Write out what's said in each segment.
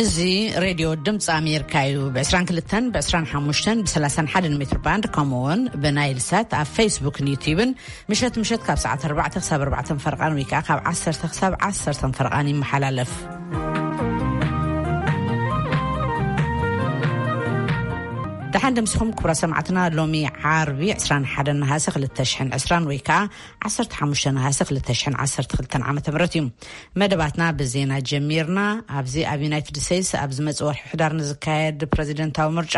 እዚ ሬድዮ ድምፂ ኣሜሪካ እዩ። ብ22፣ ብ25፣ ብ31 ሜትር ባንድ፣ ከምኡ እውን ብናይል ሳት ኣብ ፌስቡክን ዩቲዩብን ምሸት ምሸት ካብ ሰዓት ኣርባዕተ ክሳብ ኣርባዕተ ፈርቓን ወይ ከዓ ካብ ዓሰርተ ክሳብ ዓሰርተ ፈርቓን ይመሓላለፍ። ደሓን ደምሲኹም ክቡራ ሰማዕትና። ሎሚ ዓርቢ ዕስራን ሓደን ነሃሰ ክልተ ሽሕን ዕስራን ወይ ከዓ ዓሰርተ ሓሙሽተ ነሃሰ ክልተ ሽሕን ዓሰርተ ክልተን ዓመተ ምህረት እዩ። መደባትና ብዜና ጀሚርና። ኣብዚ ኣብ ዩናይትድ ስቴትስ ኣብ ዝመጽእ ወርሒ ሕዳር ንዝካየድ ፕረዚደንታዊ ምርጫ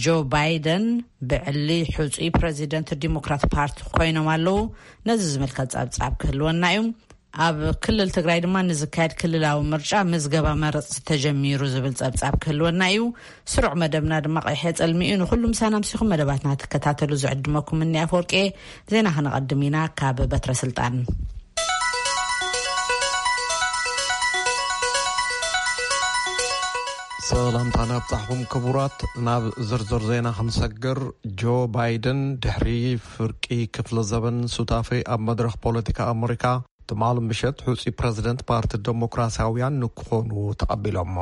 ጆ ባይደን ብዕሊ ሕጹይ ፕረዚደንት ዲሞክራት ፓርቲ ኮይኖም ኣለዉ። ነዚ ዝምልከት ጸብጻብ ክህልወና እዩ። ኣብ ክልል ትግራይ ድማ ንዝካየድ ክልላዊ ምርጫ ምዝገባ መረጽቲ ተጀሚሩ ዝብል ጸብጻብ ክህልወና እዩ። ስሩዕ መደብና ድማ ቀይሐ ጸልሚ እዩ። ንኹሉ ምሳና ምሲኹም መደባትና ትከታተሉ ዝዕድመኩም እኒ ኣፈወርቄ። ዜና ክነቐድም ኢና ካብ በትረ ስልጣን። ሰላምታ ናብጻሕኹም ክቡራት። ናብ ዝርዝር ዜና ክንሰግር፣ ጆ ባይደን ድሕሪ ፍርቂ ክፍለ ዘበን ሱታፌ ኣብ መድረኽ ፖለቲካ ኣመሪካ ትማል ምሸት ሕጹይ ፕረዚደንት ፓርቲ ደሞክራሲያውያን ንክኾኑ ተቐቢሎሞ።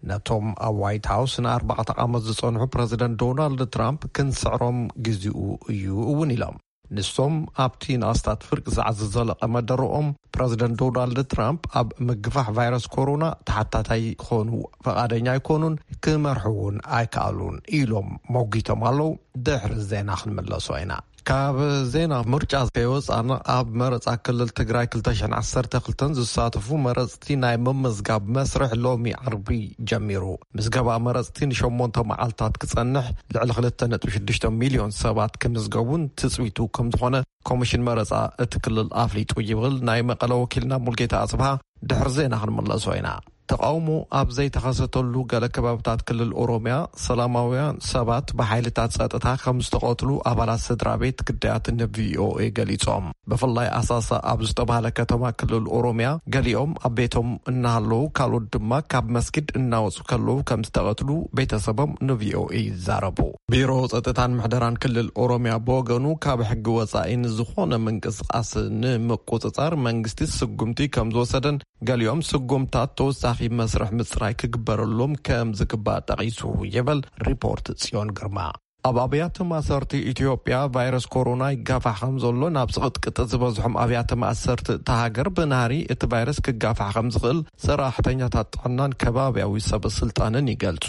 ነቶም ኣብ ዋይት ሃውስ ንኣርባዕተ ዓመት ዝጸንሑ ፕረዚደንት ዶናልድ ትራምፕ ክንስዕሮም ግዜኡ እዩ እውን ኢሎም። ንሶም ኣብቲ ንኣስታት ፍርቂ ሰዓት ዝዘለቐ መደረኦም ፕረዚደንት ዶናልድ ትራምፕ ኣብ ምግፋሕ ቫይረስ ኮሮና ተሓታታይ ክኾኑ ፈቓደኛ ኣይኮኑን፣ ክመርሑ እውን ኣይከኣሉን ኢሎም መጒቶም ኣለዉ። ድሕሪ ዜና ክንምለሶ ኢና። ካብ ዜና ምርጫ ከይወጻና፣ ኣብ መረጻ ክልል ትግራይ ክልተ ሽሕን ዓሰርተ ክልተን ዝሳተፉ መረጽቲ ናይ ምምዝጋብ መስርሕ ሎሚ ዓርቢ ጀሚሩ። ምዝገባ መረጽቲ ንሸሞንተ መዓልታት ክጸንሕ፣ ልዕሊ ክልተ ነጥቢ ሽዱሽተ ሚልዮን ሰባት ክምዝገቡን ትጽቢቱ ከም ዝኾነ ኮሚሽን መረጻ እቲ ክልል ኣፍሊጡ ይብል ናይ መቐለ ወኪልና ሙልጌታ ኣጽብሃ። ድሕሪ ዜና ክንምለሶ ኢና። ተቓውሞ ኣብ ዘይተኸሰተሉ ገለ ከባብታት ክልል ኦሮምያ፣ ሰላማውያን ሰባት ብሓይልታት ጸጥታ ከም ዝተቐትሉ ኣባላት ስድራ ቤት ግዳያት ንቪኦኤ ገሊጾም። ብፍላይ ኣሳሳ ኣብ ዝተባህለ ከተማ ክልል ኦሮምያ፣ ገሊኦም ኣብ ቤቶም እናሃለዉ፣ ካልኦት ድማ ካብ መስጊድ እናወጹ ከለዉ ከም ዝተቐትሉ ቤተሰቦም ንቪኦኤ ይዛረቡ። ቢሮ ጸጥታን ምሕደራን ክልል ኦሮምያ ብወገኑ፣ ካብ ሕጊ ወጻኢ ንዝኾነ ምንቅስቓስ ንምቁጽጻር መንግስቲ ስጉምቲ ከም ዝወሰደን፣ ገሊኦም ስጉምታት ተወሳኺ መስርሕ ምጽራይ ክግበረሎም ከም ዝግባእ ጠቒሱ ይብል ሪፖርት ጽዮን ግርማ። ኣብ ኣብያተ ማእሰርቲ ኢትዮጵያ ቫይረስ ኮሮና ይጋፋሕ ከም ዘሎ፣ ናብ ጽቕጥቅጥ ዝበዝሖም ኣብያተ ማእሰርቲ እታ ሃገር ብናህሪ እቲ ቫይረስ ክጋፋሕ ከም ዝኽእል ሰራሕተኛታት ጥዕናን ከባብያዊ ሰብ ስልጣንን ይገልጹ።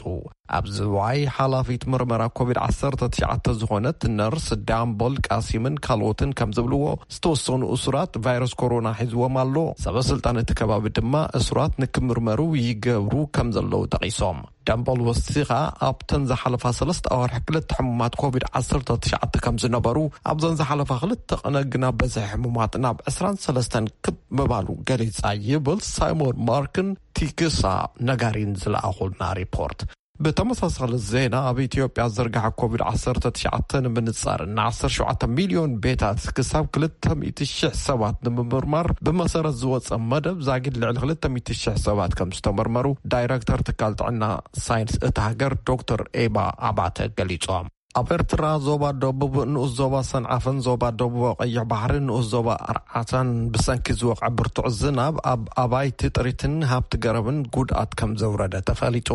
ኣብ ዝዋይ ሓላፊት ምርመራ ኮቪድ ዓሰርተ ትሽዓተ ዝኾነት ነርስ ዳምቦል ቃሲምን ካልኦትን ከም ዝብልዎ፣ ዝተወሰኑ እሱራት ቫይረስ ኮሮና ሒዝዎም ኣሎ። ሰበ ስልጣን እቲ ከባቢ ድማ እሱራት ንክምርመሩ ይገብሩ ከም ዘለዉ ጠቒሶም። ዳምቦል ወሲኻ፣ ኣብተን ዝሓለፋ ሰለስተ ኣዋርሕ ክልተ ሕሙማት ኮቪድ ዓሰርተ ትሽዓተ ከም ዝነበሩ፣ ኣብዘን ዝሓለፋ ክልተ ቅነ ግና በዝሒ ሕሙማት ናብ ዕስራን ሰለስተን ክብ ምባሉ ገሊጻ ይብል ሳይሞን ማርክን ቲክሳ ነጋሪን ዝለኣኹልና ሪፖርት። ብተመሳሳሊ ዜና፣ ኣብ ኢትዮጵያ ዝርግሐ ኮቪድ ዓሰርተ ትሽዓተ ንምንጻር፣ ን ዓሰርተ ሸውዓተ ሚልዮን ቤታት ክሳብ ክልተ ሚእቲ ሽሕ ሰባት ንምምርማር ብመሰረት ዝወጸ መደብ፣ ዛጊድ ልዕሊ ክልተ ሚእቲ ሽሕ ሰባት ከም ዝተመርመሩ ዳይረክተር ትካል ጥዕና ሳይንስ እታ ሃገር ዶክተር ኤባ ኣባተ ገሊጾም። ኣብ ኤርትራ ዞባ ደቡብ፣ ንኡስ ዞባ ሰንዓፈን ዞባ ደቡብ ቀይሕ ባሕሪ፣ ንኡስ ዞባ ኣርዓታን ብሰንኪ ዝወቕዐ ብርቱዕ ዝናብ ኣብ ኣባይቲ ጥሪትን ሃብቲ ገረብን ጉድኣት ከም ዘውረደ ተፈሊጡ።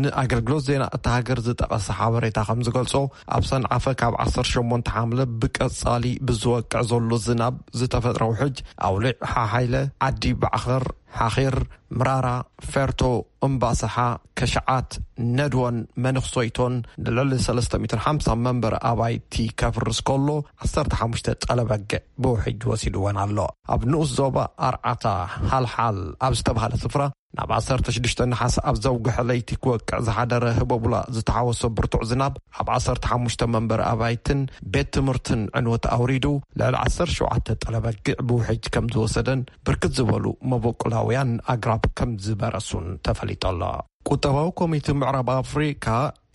ንኣገልግሎት ዜና እታ ሃገር ዝጠቐሰ ሓበሬታ ከም ዝገልጾ፣ ኣብ ሰንዓፈ ካብ ዓሰርተ ሸሞንተ ሓምለ ብቀጻሊ ብዝወቅዕ ዘሎ ዝናብ ዝተፈጥረ ውሕጅ፣ ኣውሊዕ ሓሓይለ፣ ዓዲ ባዕኸር፣ ሓኺር፣ ምራራ፣ ፈርቶ፣ እምባሰሓ፣ ከሸዓት፣ ነድወን መንኽሶይቶን ንልዕሊ ሰለስተ ሚእትን ሓምሳን መንበሪ ኣባይቲ ከፍርስ ከሎ፣ ዓሰርተ ሓሙሽተ ጠለበግዕ ብውሕጅ ወሲድወን ኣሎ። ኣብ ንኡስ ዞባ ኣርዓታ፣ ሓልሓል ኣብ ዝተባህለ ስፍራ፣ ናብ ዓሰርተ ሽዱሽተ ነሓሰ ኣብ ዘውግሐ ለይቲ ክወቅዕ ዝሓደረ ህቦቡላ ዝተሓወሶ ብርቱዕ ዝናብ፣ ኣብ ዓሰርተ ሓሙሽተ መንበሪ ኣባይትን ቤት ትምህርትን ዕንወት ኣውሪዱ፣ ልዕሊ ዓሰርተ ሸውዓተ ጠለበግዕ ብውሕጅ ከም ዝወሰደን፣ ብርክት ዝበሉ መበቆላውያን ኣግራብ ከም ዝበረሱን ተፈሊጡ ኣሎ። ቁጠባዊ ኮሚቴ ምዕራብ ኣፍሪካ፣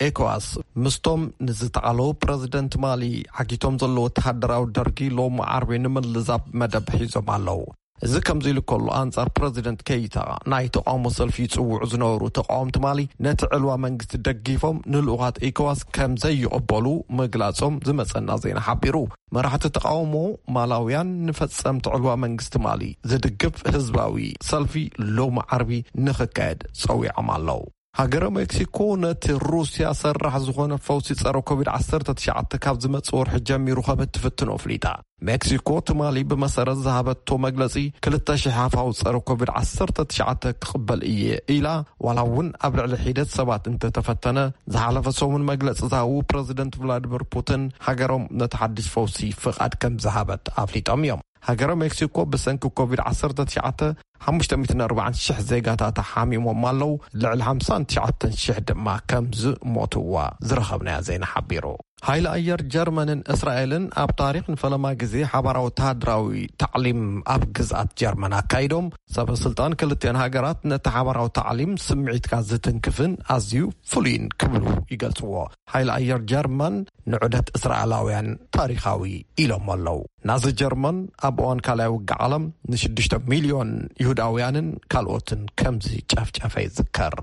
ኤኮዋስ፣ ምስቶም ንዝተዓለዉ ፕረዚደንት ማሊ ዓጊቶም ዘለዉ ወተሃደራዊ ደርጊ ሎሚ ዓርቢ ንምልዛብ መደብ ሒዞም ኣለዉ። እዚ ከምዚ ኢሉ ከሎ፣ ኣንጻር ፕረዚደንት ኬይታ ናይ ተቃውሞ ሰልፊ ይጽውዑ ዝነበሩ ተቃወምቲ ማሊ፣ ነቲ ዕልዋ መንግስቲ ደጊፎም ንልኡኻት ኢኮዋስ ከም ዘይቕበሉ ምግላጾም ዝመጸና ዜና ሓቢሩ። መራሕቲ ተቃውሞ ማላውያን ንፈጸምቲ ዕልዋ መንግስቲ ማሊ ዝድግፍ ህዝባዊ ሰልፊ ሎሚ ዓርቢ ንኽካየድ ጸዊዖም ኣለዉ። ሃገረ ሜክሲኮ ነቲ ሩስያ ሰራሕ ዝኾነ ፈውሲ ጸረ ኮቪድ ዓሰርተ ትሽዓተ ካብ ዝመጽእ ወርሒ ጀሚሩ ከም እትፍትኖ ኣፍሊጣ። ሜክሲኮ ትማሊ ብመሰረት ዝሃበቶ መግለጺ፣ ክልተ ሽሕ ሃፋው ጸረ ኮቪድ ዓሰርተ ትሽዓተ ክቕበል እየ ኢላ፣ ዋላ እውን ኣብ ልዕሊ ሒደት ሰባት እንተተፈተነ። ዝሓለፈ ሰሙን መግለጺ ዝሃቡ ፕረዚደንት ቭላዲሚር ፑቲን፣ ሃገሮም ነቲ ሓድሽ ፈውሲ ፍቓድ ከም ዝሃበት ኣፍሊጦም እዮም። ሃገረ ሜክሲኮ ብሰንኪ ኮቪድ ዓሰርተ ትሽዓተ ሓሙሽተ ሚእትን ኣርባዓን ሽሕ ዜጋታታ ሓሚሞም ኣለዉ። ልዕሊ ሓምሳን ትሽዓተን ሽሕ ድማ ከም ዝሞትዋ ዝረኸብናዮ ዜና ሓቢሩ። ሓይሊ ኣየር ጀርመንን እስራኤልን ኣብ ታሪኽ ንፈለማ ግዜ ሓባራዊ ወተሃደራዊ ታዕሊም ኣብ ግዝኣት ጀርመን ኣካይዶም። ሰበ ስልጣን ክልቲኣን ሃገራት ነቲ ሓባራዊ ታዕሊም ስምዒትካ ዝትንክፍን ኣዝዩ ፍሉይን ክብሉ ይገልጽዎ። ሓይሊ ኣየር ጀርመን ንዑደት እስራኤላውያን ታሪኻዊ ኢሎም ኣለዉ። ናዚ ጀርመን ኣብ እዋን ካልኣይ ውግእ ዓለም ንሽዱሽተ ሚልዮን ይሁዳውያንን ካልኦትን ከም ዝጨፍጨፈ ይዝከር።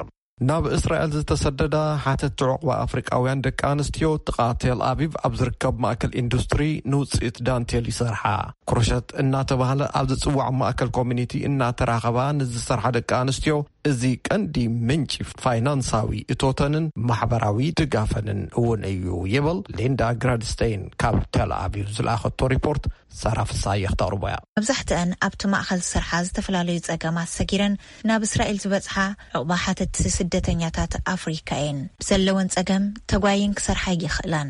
ናብ እስራኤል ዝተሰደዳ ሓተቲ ዑቕባ ኣፍሪቃውያን ደቂ ኣንስትዮ፣ ጥቓ ቴል ኣቪቭ ኣብ ዝርከብ ማእከል ኢንዱስትሪ ንውጽኢት ዳንቴል ይሰርሓ። ክሮሸት እናተባህለ ኣብ ዝጽዋዕ ማእከል ኮሚኒቲ እናተራኸባ ንዝሰርሓ ደቂ ኣንስትዮ፣ እዚ ቀንዲ ምንጪ ፋይናንሳዊ እቶተንን ማሕበራዊ ድጋፈንን እውን እዩ ይብል ሊንዳ ግራድስቴይን ካብ ቴል ኣቪቭ ዝለኣኸቶ ሪፖርት። ሳራ ፍሳየ ክተቕርቦ እያ። መብዛሕትአን ኣብቲ ማእኸል ዝሰርሓ ዝተፈላለዩ ጸገማት ሰጊረን ናብ እስራኤል ዝበጽሓ ዕቑባ ሓተቲ ስደተኛታት ኣፍሪካ እየን። ብዘለወን ጸገም ተጓይን ክሰርሓ ይኽእላን፣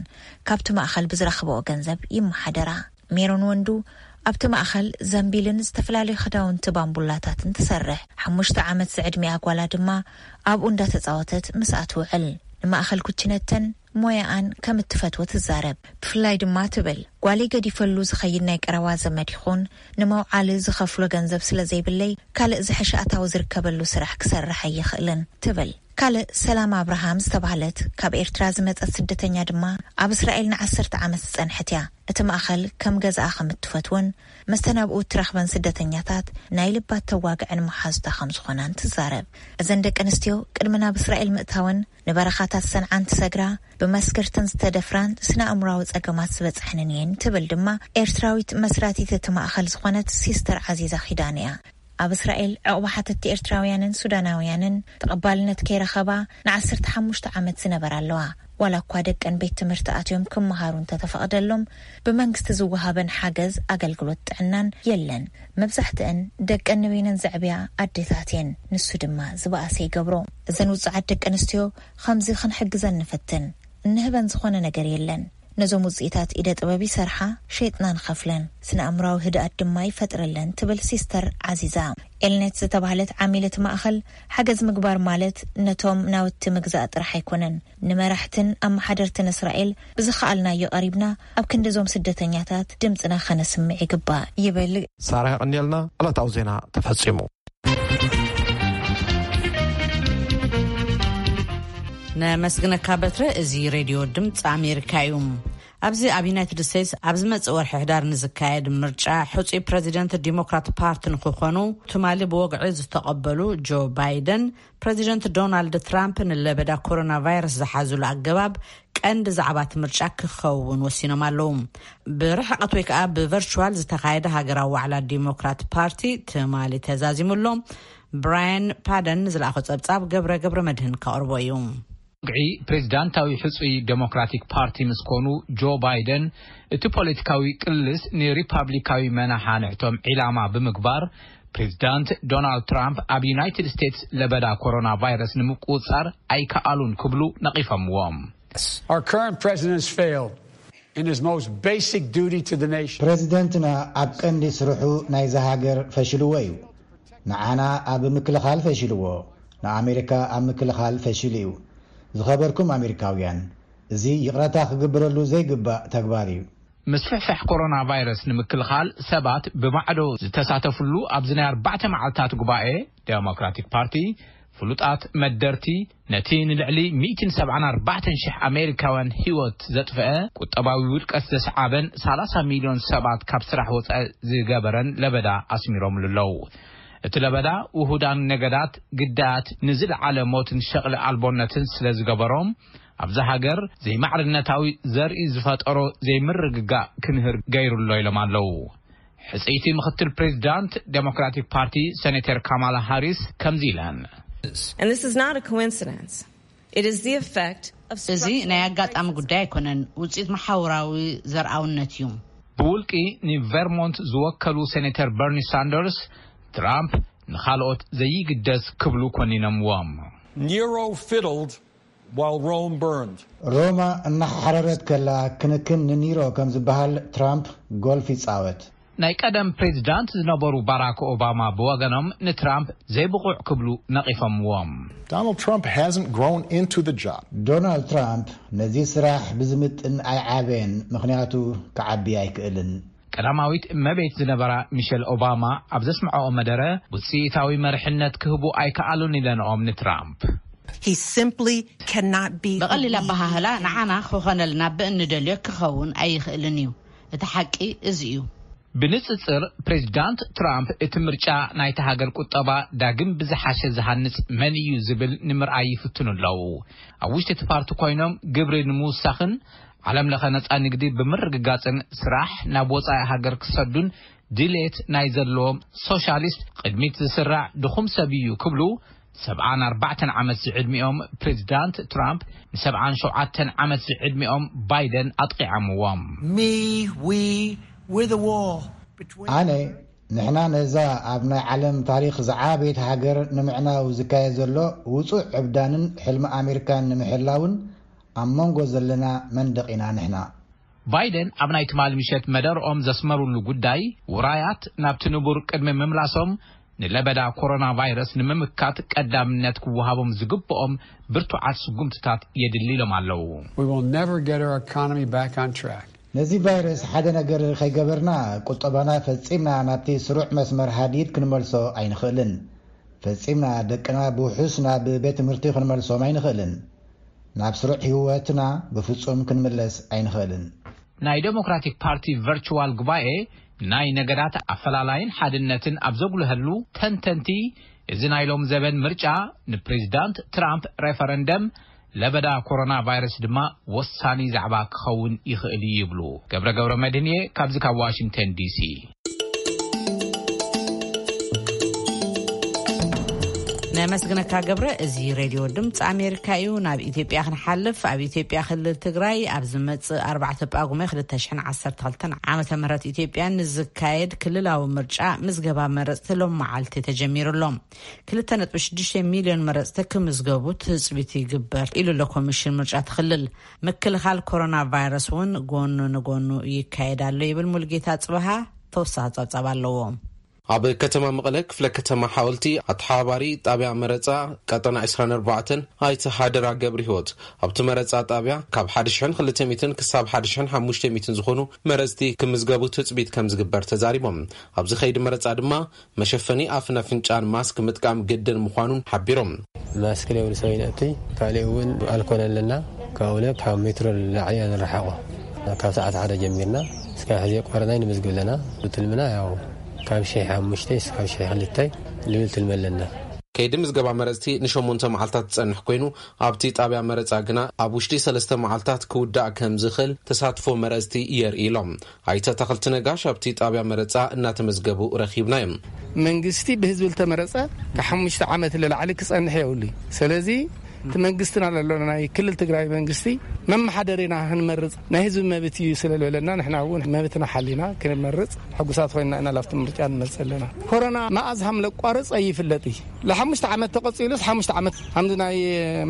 ካብቲ ማእኸል ብዝረኽበኦ ገንዘብ ይመሓደራ። ሜሮን ወንዱ ኣብቲ ማእኸል ዘንቢልን ዝተፈላለዩ ክዳውንቲ ባምቡላታትን ትሰርሕ። ሓሙሽተ ዓመት ዝዕድሚኣ ጓላ ድማ ኣብኡ እንዳተጻወተት ምስኣ ትውዕል። ንማእኸል ኩችነተን ሞያኣን ከም እትፈትዎ ትዛረብ። ብፍላይ ድማ ትብል፣ ጓለይ ገዲፈሉ ዝኸይድ ናይ ቀረባ ዘመድ ይኹን ንመውዓሊ ዝኸፍሎ ገንዘብ ስለ ዘይብለይ፣ ካልእ ዝሐሸ ኣታዊ ዝርከበሉ ስራሕ ክሰርሕ ኣይኽእልን ትብል። ካልእ ሰላም ኣብርሃም ዝተባህለት ካብ ኤርትራ ዝመጸት ስደተኛ ድማ ኣብ እስራኤል ንዓሰርተ ዓመት ዝጸንሐት እያ። እቲ ማእኸል ከም ገዛኣ ከም እትፈትዎን መስተን ኣብኡ እትረኽበን ስደተኛታት ናይ ልባ እተዋግዐን መሓዙታ ከም ዝኾናን ትዛረብ። እዘን ደቂ ኣንስትዮ ቅድሚ ናብ እስራኤል ምእታወን ንበረኻታት ሰንዓ እንትሰግራ፣ ብመስገርትን ዝተደፍራን ስነ ኣእምራዊ ጸገማት ዝበጽሐንን እየን ትብል ድማ ኤርትራዊት መስራቲት እቲ ማእኸል ዝኾነት ሲስተር ዓዚዛ ኪዳነ እያ። ኣብ እስራኤል ዕቑባ ሓተቲ ኤርትራውያንን ሱዳናውያንን ተቐባልነት ከይረኸባ ንዓሰርተ ሓሙሽተ ዓመት ዝነበራ ኣለዋ። ዋላ እኳ ደቀን ቤት ትምህርቲ ኣትዮም ክመሃሩ እንተተፈቕደሎም፣ ብመንግስቲ ዝወሃበን ሓገዝ ኣገልግሎት ጥዕናን የለን። መብዛሕትአን ደቀን ንበይነን ዘዕብያ ኣዴታት እየን። ንሱ ድማ ዝበኣሰ ይገብሮ። እዘን ውጹዓት ደቂ ኣንስትዮ ከምዚ ክንሕግዘን ንፍትን። እንህበን ዝኾነ ነገር የለን። ነዞም ውጽኢታት ኢደ ጥበብ ይሰርሓ፣ ሸይጥና ንኸፍለን፣ ስነ ኣእምራዊ ህድኣት ድማ ይፈጥረለን ትብል ሲስተር ዓዚዛ። ኤልኔት ዝተባህለት ዓሚል እቲ ማእኸል፣ ሓገዝ ምግባር ማለት ነቶም ናውቲ ምግዛእ ጥራሕ ኣይኮነን። ንመራሕትን ኣመሓደርትን እስራኤል ብዝኸኣልናዮ ቀሪብና ኣብ ክንዲ እዞም ስደተኛታት ድምፅና ከነስምዕ ይግባእ ይብል። ሳራ የቐንየልና። ዕለታዊ ዜና ተፈጺሙ። ነመስግነካ በትረ። እዚ ሬድዮ ድምፂ ኣሜሪካ እዩ። ኣብዚ ኣብ ዩናይትድ ስቴትስ ኣብ ዝመፅእ ወርሒ ሕዳር ንዝካየድ ምርጫ ሕፁይ ፕረዚደንት ዲሞክራት ፓርቲ ንክኾኑ ትማሊ ብወግዒ ዝተቐበሉ ጆ ባይደን፣ ፕረዚደንት ዶናልድ ትራምፕ ንለበዳ ኮሮና ቫይረስ ዝሓዝሉ ኣገባብ ቀንዲ ዛዕባ እቲ ምርጫ ክኸውን ወሲኖም ኣለዉ። ብርሕቀት ወይ ከዓ ብቨርቹዋል ዝተኻየደ ሃገራዊ ዋዕላ ዲሞክራት ፓርቲ ትማሊ ተዛዚሙ ኣሎ። ብራያን ፓደን ዝለኣኾ ጸብጻብ ገብረ ገብረ መድህን ከቕርቦ እዩ። ወግዒ ፕሬዚዳንታዊ ሕጹይ ዴሞክራቲክ ፓርቲ ምስ ኮኑ ጆ ባይደን፣ እቲ ፖለቲካዊ ቅልስ ንሪፓብሊካዊ መናሓንሕቶም ዒላማ ብምግባር፣ ፕሬዚዳንት ዶናልድ ትራምፕ ኣብ ዩናይትድ ስቴትስ ለበዳ ኮሮና ቫይረስ ንምቁጽጻር ኣይከኣሉን ክብሉ ነቒፎምዎም። Our current president has failed in his most basic duty to the nation. ፕረዚደንትና ኣብ ቀንዲ ስርሑ ናይዛ ሃገር ፈሽልዎ እዩ። ንዓና ኣብ ምክልኻል ፈሽልዎ፣ ንኣሜሪካ ኣብ ምክልኻል ፈሽሉ እዩ። ዝኸበርኩም ኣሜሪካውያን፣ እዚ ይቕረታ ክግበረሉ ዘይግባእ ተግባር እዩ። ምስፍሕፋሕ ኮሮና ቫይረስ ንምክልኻል ሰባት ብማዕዶ ዝተሳተፍሉ ኣብዚ ናይ ኣርባዕተ መዓልታት ጉባኤ፣ ዴሞክራቲክ ፓርቲ ፍሉጣት መደርቲ፣ ነቲ ንልዕሊ ሚእትን ሰብዓን ኣርባዕተን ሽሕ ኣሜሪካውያን ህይወት ዘጥፍአ፣ ቁጠባዊ ውድቀት ዘስዓበን ሰላሳ ሚልዮን ሰባት ካብ ስራሕ ወጻኢ ዝገበረን ለበዳ ኣስሚሮምሉ ኣለዉ። እቲ ለበዳ ውሁዳን ነገዳት ግዳያት ንዝለዓለ ሞትን ሸቕሊ ኣልቦነትን ስለ ዝገበሮም፣ ኣብዛ ሃገር ዘይማዕርነታዊ ዘርኢ ዝፈጠሮ ዘይምርግጋእ ክንህር ገይሩ ኣሎ ኢሎም ኣለዉ። ሕጽይቲ ምኽትል ፕሬዚዳንት ዴሞክራቲክ ፓርቲ ሴኔተር ካማላ ሃሪስ ከምዚ ኢለን። And this is not a coincidence. It is the effect of እዚ ናይ ኣጋጣሚ ጉዳይ ኣይኮነን፣ ውጽኢት መሓውራዊ ዘርኣውነት እዩ። ብውልቂ ንቨርሞንት ዝወከሉ ሴኔተር በርኒ ሳንደርስ፣ ትራምፕ ንኻልኦት ዘይግደስ ክብሉ ኮኒኖምዎም። Nero fiddled while Rome burned. ሮማ እናሓረረት ከላ ክንክን ንኒሮ ከም ዝበሃል ትራምፕ ጎልፍ ይጻወት። ናይ ቀደም ፕሬዚዳንት ዝነበሩ ባራክ ኦባማ ብወገኖም ንትራምፕ ዘይብቑዕ ክብሉ ነቒፎምዎም። Donald Trump hasn't grown into the job. ዶናልድ ትራምፕ ነዚ ስራሕ ብዝምጥን ኣይዓበየን፣ ምኽንያቱ ክዓቢ ኣይክእልን። ቀዳማዊት እመቤት ዝነበራ ሚሸል ኦባማ ኣብ ዘስምዐኦ መደረ፣ ውፅኢታዊ መርሕነት ክህቡ ኣይከኣሉን ኢለንኦም ንትራምፕ። He simply cannot be the ብቐሊል lead ኣበሃህላ ንዓና ክኾነልና ብእንደልዮ ክኸውን ኣይኽእልን እዩ። እቲ ሓቂ እዚ እዩ። ብንጽጽር ፕሬዚዳንት ትራምፕ እቲ ምርጫ ናይቲ ሃገር ቁጠባ ዳግም ብዝሓሸ ዝሃንጽ መን እዩ ዝብል ንምርኣይ ይፍትኑ ኣለዉ። ኣብ ውሽጢ እቲ ፓርቲ ኮይኖም ግብሪ ንምውሳኽን ዓለም ለኸ ነጻ ንግዲ ብምርግጋጽን ስራሕ ናብ ወጻኢ ሃገር ክሰዱን ድሌት ናይ ዘለዎም ሶሻሊስት ቅድሚት ዝስራዕ ድኹም ሰብ እዩ ክብሉ ሰብዓን ኣርባዕተን ዓመት ዝዕድሚኦም ፕሬዚዳንት ትራምፕ ንሰብዓን ሸውዓተን ዓመት ዝዕድሚኦም ባይደን ኣጥቂዖምዎም። Me, we, we're the wall between. ኣነ ንሕና ነዛ ኣብ ናይ ዓለም ታሪኽ ዝዓበየት ሃገር ንምዕናው ዝካየድ ዘሎ ውጹዕ ዕብዳንን ሕልሚ ኣሜሪካን ንምሕላውን ኣብ መንጎ ዘለና መንደቕ ኢና ንሕና። ባይደን ኣብ ናይ ትማሊ ምሸት መደርኦም ዘስመሩሉ ጉዳይ ውራያት ናብቲ ንቡር ቅድሚ ምምላሶም ንለበዳ ኮሮና ቫይረስ ንምምካት ቀዳምነት ክወሃቦም ዝግብኦም ብርቱዓት ስጉምትታት የድሊ ኢሎም ኣለዉ። We will never get our economy back on track. ነዚ ቫይረስ ሓደ ነገር ከይገበርና ቁጠባና ፈጺምና ናብቲ ስሩዕ መስመር ሃዲድ ክንመልሶ ኣይንኽእልን። ፈጺምና ደቅና ብውሑስ ናብ ቤት ትምህርቲ ክንመልሶም ኣይንኽእልን። ናብ ስሩዕ ህይወትና ብፍጹም ክንምለስ ኣይንኽእልን። ናይ ዴሞክራቲክ ፓርቲ ቨርቹዋል ጉባኤ ናይ ነገዳት ኣፈላላይን ሓድነትን ኣብ ዘጉልሀሉ ተንተንቲ፣ እዚ ናይ ሎም ዘበን ምርጫ ንፕሬዚዳንት ትራምፕ ሬፈረንደም ለበዳ ኮሮና ቫይረስ ድማ ወሳኒ ዛዕባ ክኸውን ይኽእል እዩ ይብሉ። ገብረ ገብረ መድህንየ ካብዚ ካብ ዋሽንግተን ዲሲ። ነመስግነካ ገብረ። እዚ ሬድዮ ድምፂ ኣሜሪካ እዩ። ናብ ኢትዮጵያ ክንሓልፍ፣ ኣብ ኢትዮጵያ ክልል ትግራይ ኣብ ዝመፅእ ኣርባዕተ ጳጉመ ክልተ ሽሕን ዓሰርተ ክልተን ዓመተ ምህረት ኢትዮጵያ ንዝካየድ ክልላዊ ምርጫ ምዝገባ መረፅቲ ሎም መዓልቲ ተጀሚሩ ኣሎ። ክልተ ነጥቢ ሽዱሽተ ሚልዮን መረፅቲ ክምዝገቡ ትፅቢት ይግበር ኢሉ ኣሎ ኮሚሽን ምርጫ እቲ ክልል። ምክልኻል ኮሮና ቫይረስ እውን ጎኑ ንጎኑ ይካየድ ኣሎ ይብል ሙልጌታ ፅበሃ። ተወሳኺ ፀብፃብ ኣለዎ። ኣብ ከተማ መቐለ ክፍለ ከተማ ሓወልቲ ኣተሓባባሪ ጣብያ መረፃ ቀጠና ዕስራን ኣርባዕተን ኣይተ ሃደራ ገብሪ ህይወት ኣብቲ መረፃ ጣብያ ካብ ሓደ ሽሕን ክልተ ሚእትን ክሳብ ሓደ ሽሕን ሓሙሽተ ሚእትን ዝኾኑ መረፅቲ ክምዝገቡ ትፅቢት ከም ዝግበር ተዛሪቦም። ኣብዚ ከይዲ መረፃ ድማ መሸፈኒ ኣፍን ኣፍንጫን ማስክ ምጥቃም ግድን ምዃኑን ሓቢሮም። ማስክ ለብሉ ሰብ ይነእቱይ ካሊእ እውን ኣልኮል ኣለና ካብኡ ካብ ሜትሮ ላዕሊ ኢና ንረሓቆ ካብ ሰዓት ሓደ ጀሚርና እስካብ ሕዚ ቆረናይ ንምዝግብ ኣለና ትልምና ያው ካብ ሽሕ ሓሙሽተ እስካብ ሽሕ ክልተ ልብል ትልሚ ኣለና። ከይዲ ምዝገባ መረፅቲ ንሸሞንተ መዓልታት ዝፀንሕ ኮይኑ ኣብቲ ጣብያ መረፃ ግና ኣብ ውሽጢ ሰለስተ መዓልታት ክውዳእ ከም ዝኽእል ተሳትፎ መረፅቲ የርኢ ኢሎም። ኣይተ ኣታኽልቲ ነጋሽ ኣብቲ ጣብያ መረፃ እናተመዝገቡ ረኺብናዮም። መንግስቲ ብህዝቢ ዝተመረፀ ካብ ሓሙሽተ ዓመት ንላዕሊ ክፀንሕ የብሉ። ስለዚ እቲ መንግስትና ዘሎ ናይ ክልል ትግራይ መንግስቲ መመሓደሪና ክንመርፅ ናይ ህዝቢ መብት እዩ ስለ ዝበለና ንሕና እውን መብትና ሓሊና ክንመርፅ ሕጉሳት ኮይና ኢና ላብቲ ምርጫ ንመርፅ ኣለና። ኮሮና መኣዝ ሃም ለቋርፅ ኣይፍለጥ እዩ። ለሓሙሽተ ዓመት ተቐፂሉስ ሓሙሽተ ዓመት ሃምዚ ናይ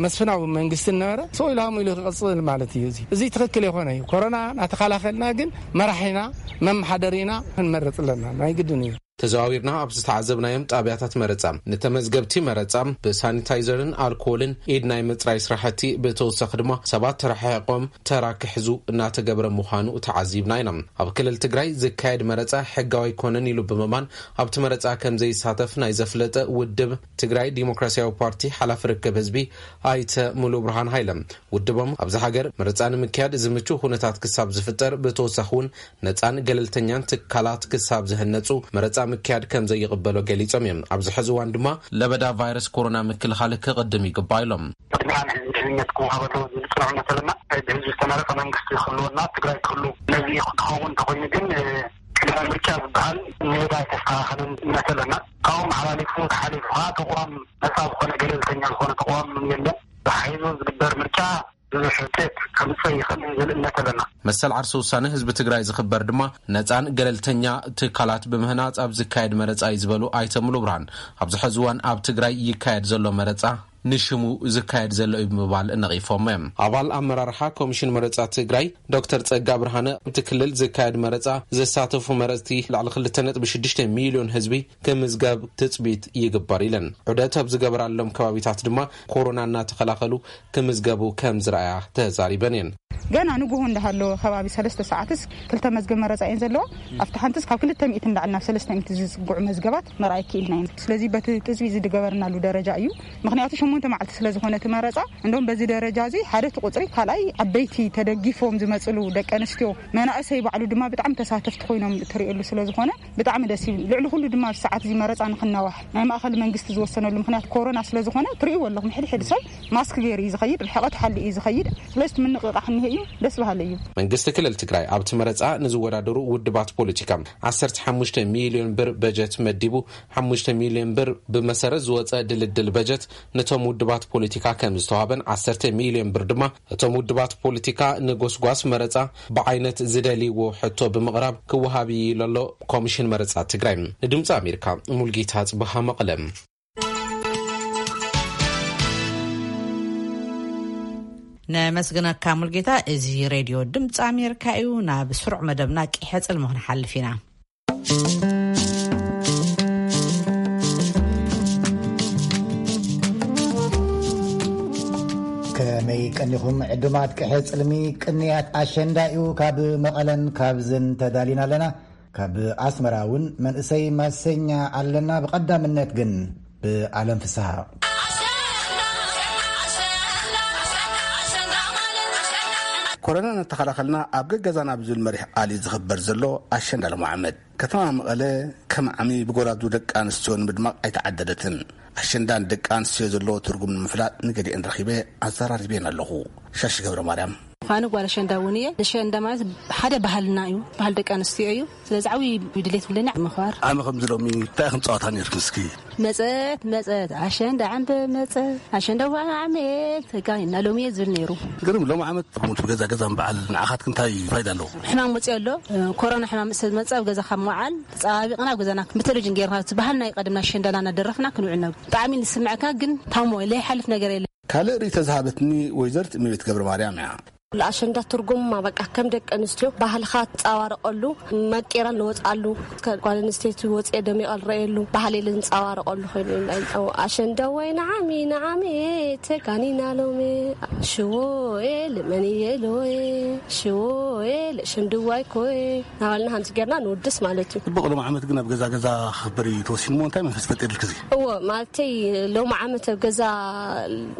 መስፍናዊ መንግስቲ ነበረ ሰው ኢሉ ሃሙ ኢሉ ክቐፅል ማለት እዩ። እዚ እዚ ትኽክል የኾነ እዩ። ኮሮና ናተኸላኸልና ግን መራሒና መመሓደሪና ክንመርፅ ኣለና ናይ ግድን እዩ። ተዘዋዊርና ኣብ ዝተዓዘብናዮም ጣብያታት መረፃ፣ ንተመዝገብቲ መረፃ ብሳኒታይዘርን ኣልኮልን ኢድ ናይ ምፅራይ ስራሕቲ፣ ብተወሳኺ ድማ ሰባት ተረሓሒቆም ተራ ክሕዙ እናተገብረ ምዃኑ ተዓዚብና ኢና። ኣብ ክልል ትግራይ ዝካየድ መረፃ ሕጋዊ ኣይኮነን ኢሉ ብምእማን፣ ኣብቲ መረፃ ከም ዘይሳተፍ ናይ ዘፍለጠ ውድብ ትግራይ ዲሞክራሲያዊ ፓርቲ ሓላፊ ርክብ ህዝቢ ኣይተ ሙሉ ብርሃን ሃይለ፣ ውድቦም ኣብዚ ሃገር መረፃ ንምክያድ ዝምቹ ኩነታት ክሳብ ዝፍጠር፣ ብተወሳኺ እውን ነፃን ገለልተኛን ትካላት ክሳብ ዝህነፁ መረፃ ምክያድ ከም ዘይቕበሎ ገሊፆም እዮም። ኣብዚ ሕዚ እዋን ድማ ለበዳ ቫይረስ ኮሮና ምክልኻል ክቕድም ይግባእ ኢሎም። ቅድሚያ ንህዝቢ ድሕንነት ክወሃበ ኣለዎ ዝብል ፅኑዕ እምነት ኣለና። ብህዝቢ ዝተመረፀ መንግስቲ ክህልወና፣ ትግራይ ክህሉ። ነዚ ክኸውን እንተኮይኑ ግን፣ እ፣ ቅድመ ምርጫ ዝበሃል ሜዳ ኣይተስተኻኸለን እምነት ኣለና። ካብኡ መሓላሊፉ ተሓሊፉ ከዓ ተቋም ነፃ ዝኾነ፣ ገለልተኛ ዝኾነ ተቋም የለን። ተሓይዞ ዝግበር ምርጫ ብዙሕ ውፅኢት ከምፅእ ይኽእል እዩ ዝብል እምነት ኣለና። መሰል ዓርሰ ውሳነ ህዝቢ ትግራይ ዝኽበር ድማ ነፃን ገለልተኛ ትካላት ብምህናፅ ኣብ ዝካየድ መረፃ እዩ ዝበሉ ኣይተ ሙሉ ብርሃን፣ ኣብዚ ሕዚ እዋን ኣብ ትግራይ ይካየድ ዘሎ መረፃ ንሽሙ ዝካየድ ዘሎ እዩ ብምባል ነቒፎም እዮም። ኣባል ኣመራርሓ ኮሚሽን መረፃ ትግራይ ዶክተር ጸጋ ብርሃነ፣ ኣብቲ ክልል ዝካየድ መረፃ ዘሳተፉ መረፅቲ ልዕሊ ክልተ ነጥቢ ሽዱሽተ ሚልዮን ህዝቢ ክምዝገብ ትፅቢት ይግበር ኢለን። ዑደት ኣብ ዝገበራሎም ከባቢታት ድማ ኮሮና እናተኸላኸሉ ክምዝገቡ ከም ዝረኣያ ተዛሪበን እየን። ገና ንግሆ እንዳሃለወ ከባቢ ሰለስተ ሰዓትስ ክልተ መዝገብ መረፃ እየን ዘለዋ። ኣብቲ ሓንትስ ካብ ክልተ ሚእቲ እንዳዕል ናብ ሰለስተ ሚእቲ ዝፅግዑ መዝገባት መርኣይ ክኢልና ኢና። ስለዚ በቲ ትፅቢት ዝገበርናሉ ደረጃ እዩ። ምኽንያቱ ሸሞንተ መዓልቲ ስለ ዝኾነ እቲ መረፃ፣ እንደውም በዚ ደረጃ እዚ ሓደ እቲ ቁፅሪ፣ ካልኣይ ዓበይቲ ተደጊፎም ዝመፅሉ ደቂ ኣንስትዮ፣ መናእሰይ ባዕሉ ድማ ብጣዕሚ ተሳተፍቲ ኮይኖም ትርእየሉ ስለ ዝኾነ ብጣዕሚ ደስ ይብል። ልዕሊ ኩሉ ድማ ኣብዚ ሰዓት እዚ መረፃ ንክናዋሕ ናይ ማእኸል መንግስቲ ዝወሰነሉ ምኽንያት ኮሮና ስለ ዝኾነ ትርእይዎ ኣለኹም፣ ሕድሕድ ሰብ ማስክ ገይሩ እዩ ዝኸይድ፣ ርሕቐት ሓሊ እዩ ዝኸይድ። ስለዚ እቲ ምንቕቓሕ እኒሀ እዩ፣ ደስ በሃሊ እዩ። መንግስቲ ክልል ትግራይ ኣብቲ መረፃ ንዝወዳደሩ ውድባት ፖለቲካ ዓሰርተ ሓሙሽተ ሚልዮን ብር በጀት መዲቡ፣ ሓሙሽተ ሚልዮን ብር ብመሰረት ዝወፀ ድልድል በጀት ነቶም ውድባት ፖለቲካ ከም ዝተዋህበን፣ ዓሰርተ ሚልዮን ብር ድማ እቶም ውድባት ፖለቲካ ንጎስጓስ መረፃ ብዓይነት ዝደልይዎ ሕቶ ብምቕራብ ክወሃብ እዩ ኢሉ ኣሎ ኮሚሽን መረፃ ትግራይ። ንድምፂ ኣሜሪካ ሙልጌታ ጽበሃ መቐለ። ነመስግነካ ሙልጌታ። እዚ ሬድዮ ድምፂ ኣሜሪካ እዩ። ናብ ስሩዕ መደብና ቂሐ ጽልሚ ክንሓልፍ ኢና። ከመይ ቀኒኹም ዕዱማት ቅሐ ጽልሚ? ቅንያት ኣሸንዳ እዩ። ካብ መቐለን ካብዝን ተዳሊና ኣለና። ካብ ኣስመራ እውን መንእሰይ ማሰኛ ኣለና። ብቐዳምነት ግን ብኣለም ፍስሃ። ኮሮና እናተኸላኸልና ኣብ ገገዛና ብዝብል መሪሕ ቃል እዩ ዝኽበር ዘሎ ኣሸንዳ ሎም ዓመት። ከተማ መቐለ ከም ዓሚ ብጎራዙ ደቂ ኣንስትዮ ንምድማቕ ኣይተዓደለትን። ኣሸንዳ ንደቂ ኣንስትዮ ዘለዎ ትርጉም ንምፍላጥ ንገሊአን ረኺበ ኣዘራሪበን ኣለኹ። ሻሺ ገብረ ማርያም። ፋኒ ጓል ኣሸንዳ እውን እየ። ኣሸንዳ ማለት ሓደ ባህልና እዩ፣ ባህሊ ደቂ ኣንስትዮ እዩ። ስለዚ ዓብዪ ድሌት ብለና ምኽባር። ዓሚ ከምዚ ሎሚ እንታይ ኢኹም ጸዋታ ነይርኩም እስኪ? መጸት መጸት ኣሸንዳ ዓምበ መጸት፣ ኣሸንዳ ዋና ዓመት ተጋኒና ሎሚ እየ ዝብል ነይሩ። ግርም፣ ሎም ዓመት ከምኡ ገዛ ገዛ ምበዓል ንዓኻትክ እንታይ ፋይዳ ኣለዎ? ሕማም ወፂኡ ኣሎ። ኮሮና ሕማም ስለ ዝመፀ ኣብ ገዛ ካብ ምውዓል ተፀባቢቕና ኣብ ገዛና ብቴሌቪዥን ጌርና እቲ ባህልና ይቀድምና ኣሸንዳና እናደረፍና ክንውዕል ነብ-፣ ብጣዕሚ ንስምዐካ ግን ታሞ ለይሓልፍ ነገር የለ። ካልእ ርእይቶ ዝሃበትኒ ወይዘሪት እመቤት ገብረ ማርያም እያ። ኣሸንዳ ትርጉማ በቃ ከም ደቂ ኣንስትዮ ባህልኻ ትፃባረቐሉ፣ መቂራ ንወፅኣሉ፣ ጓል ኣንስተይቲ ወፅኤ ደሚቐ ዝረኣየሉ ባህሊ ልንፃባረቐሉ ኮይኑ እዩ። ኣሸንዳ ወይ ንዓሚ ንዓሚ ተጋኒና ሎሚ ሽዎ ኤ ልመን እየ ሎየ ሽዎ ኤ ለሸንድዋይ ኮይ ናባልና ከምዚ ጌርና ንውድስ ማለት እዩ። ጽቡቕ፣ ሎም ዓመት ግን ኣብ ገዛ ገዛ ክኽበር እዩ ተወሲኑ እሞ እንታይ መንፈስ ፈጢርልክ እዚ? እዎ፣ ማለተይ ሎም ዓመት ኣብ ገዛ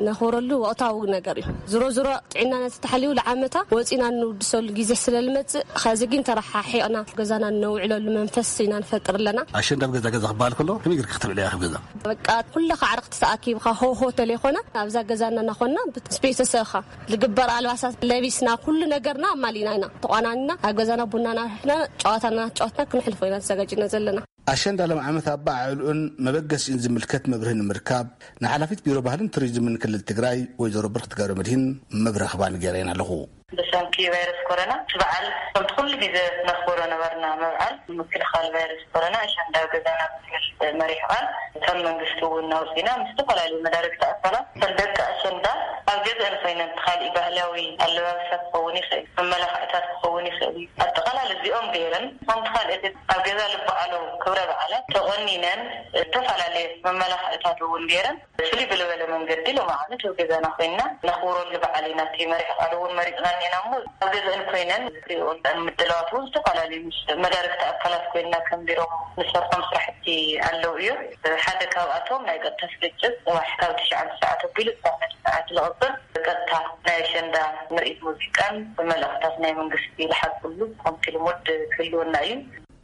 ነኽብረሉ ወቕታዊ ነገር እዩ። ዝሮ ዝሮ ጥዕናና ተተሓልዩ ለዓመታ ወፂና እንውድሰሉ ግዜ ስለ ልመፅእ፣ ኸዚ ግን ተረሓሒቕና ገዛና ነውዕለሉ መንፈስ ኢና ንፈጥር ኣለና። ኣሸንዳ ኣብ ገዛ ገዛ ክበሃል ከሎ ከመይ ጌርክ ክተብዕልያ ኢኺ ኣብ ገዛ? በቃ ኩልኻ ዓርኽቲ ተኣኪብኻ ሆ ሆ ተለይኮና ኣብዛ ገዛና እናኾንና ምስ ቤተሰብኻ ዝግበር ኣልባሳት ለቢስና ኩሉ ነገርና ኣማሊእና ኢና ተቋናኒና ኣብ ገዛና ቡናና ኣፍሊሕና ጨዋታና ጨዋትና ክነሕልፎ ኢና ተዘጋጅና ዘለና። ኣሸንዳ ሎም ዓመት ኣበዓዕልኡን መበገሲኡን ዝምልከት መብርሂ ንምርካብ ንሓላፊት ቢሮ ባህልን ቱሪዝምን ክልል ትግራይ ወይዘሮ ብርክቲ ገብረ መድሂን መብረኽባ ንገረየን ኣለኹ። ደስ ሰንኪ ቫይረስ ኮሮና፣ እቲ በዓል ከምቲ ኩሉ ግዜ ነኽብሮ ነበርና። መብዓል ምክልኻል ቫይረስ ኮሮና ኣሸንዳ ኣብ ገዛና ብዝብል መሪሕ ቃል ከም መንግስቲ እውን ኣውፂና፣ ምስ ዝተፈላለዩ መዳርግቲ ኣካላት ከም ደቂ ኣሸንዳ ኣብ ገዛን ኮይነን፣ እቲ ካሊእ ባህላዊ ኣለባብሳ ክኸውን ይኽእል፣ መመላኽዕታት ክኸውን ይኽእል እዩ። ኣጠቓላሊ እዚኦም ገይረን፣ ሓንቲ ካልኣይቲ ኣብ ገዛ ልበዓሉ ክብረ በዓላት ተቖኒነን፣ ዝተፈላለየ መመላኽዕታት እውን ገይረን፣ ፍልይ ብልበለ መንገዲ ሎማዓንቲ ኣብ ገዛና ኮይንና ነኽብረሉ በዓል ኢና። እቲ መሪሕ ቃል እውን መሪፅና እኒና እሞ፣ ኣብ ገዛን ኮይነን ዝሪኦ ምድላዋት እውን ዝተፈላለዩ ምስ መዳርግቲ ኣካላት ኮይንና ከም ቢሮ ንሰርሖም ስራሕቲ ኣለዉ እዮም። ሓደ ካብኣቶም ናይ ቀጥታ ስርጭት ፅባሕ ካብ ትሽዓተ ሰዓት ኣቢሉ ክሳብ ሓደ ሰዓት ዝቕፅል ቀጥታ ናይ ኣሸንዳ ምርኢት ሙዚቃን መልእኽታት ናይ መንግስቲ ዝሓዝሉ ከምቲ ልሙድ ክህልወና እዩ።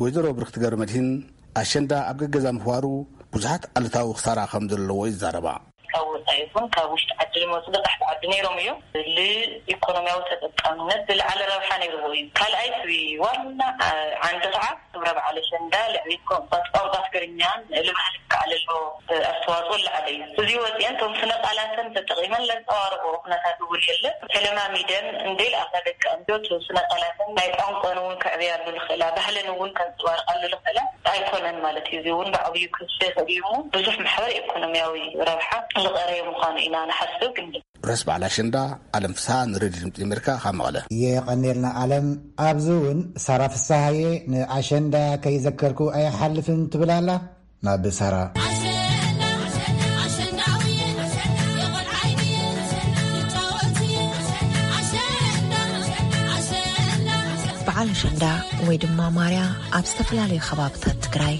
ወይዘሮ ብርክቲ ገብረመድህን፣ ኣሸንዳ ኣብ ገገዛ ምኽባሩ ብዙሓት ኣሉታዊ ክሳራ ከም ዘለዎ ይዛረባ። ካብ ወፃኢ ይኹን ካብ ውሽጢ ዓዲ ዝመፁ በፃሕቲ ዓዲ ነይሮም እዮም። ንኢኮኖሚያዊ ተጠቃምነት ዝለዓለ ረብሓ ነይርዎ እዩ። ካልኣይ፣ እቲ ዋና ዓንዲ ከዓ ክብረ በዓል ኣሸንዳ ልዕሊ ቋንቋ፣ ቋንቋ ትግርኛን ልባህል ከዓለሎ ኣስተዋፅኦ ዝለዓለ እዩ። እዚ ወፂአን እቶም ስነ ቃላተን ተጠቒመን ለንፀባርቆ ኩነታት እውን የለን። ተለማሚደን እንደይለኣኻ ደቂ ኣንስትዮ እቲ ስነ ቃላተን ናይ ቋንቋን እውን ከዕብያሉ ዝኽእላ፣ ባህለን እውን ከንፀባርቃሉ ዝኽእላ ኣይኮነን ማለት እዩ። እዚ እውን ብዓብዩ ክስፈ ይኽእል እዩ እሞ ብዙሕ ማሕበረ ኢኮኖሚያዊ ረብሓ ዝቐረየ ምዃኑ ኢና ንሓስብ። ግን ርሑስ በዓል ኣሸንዳ። ኣለም ፍስሃ ንሬድዮ ድምፂ ኣሜሪካ ካብ መቐለ። የቐኔልና ኣለም። ኣብዚ እውን ሳራ ፍስሃየ ንኣሸንዳ ከይዘከርኩ ኣይሓልፍን ትብል ኣላ። ናብ ሳራ። በዓል ኣሸንዳ ወይ ድማ ማርያ ኣብ ዝተፈላለዩ ከባብታት ትግራይ፣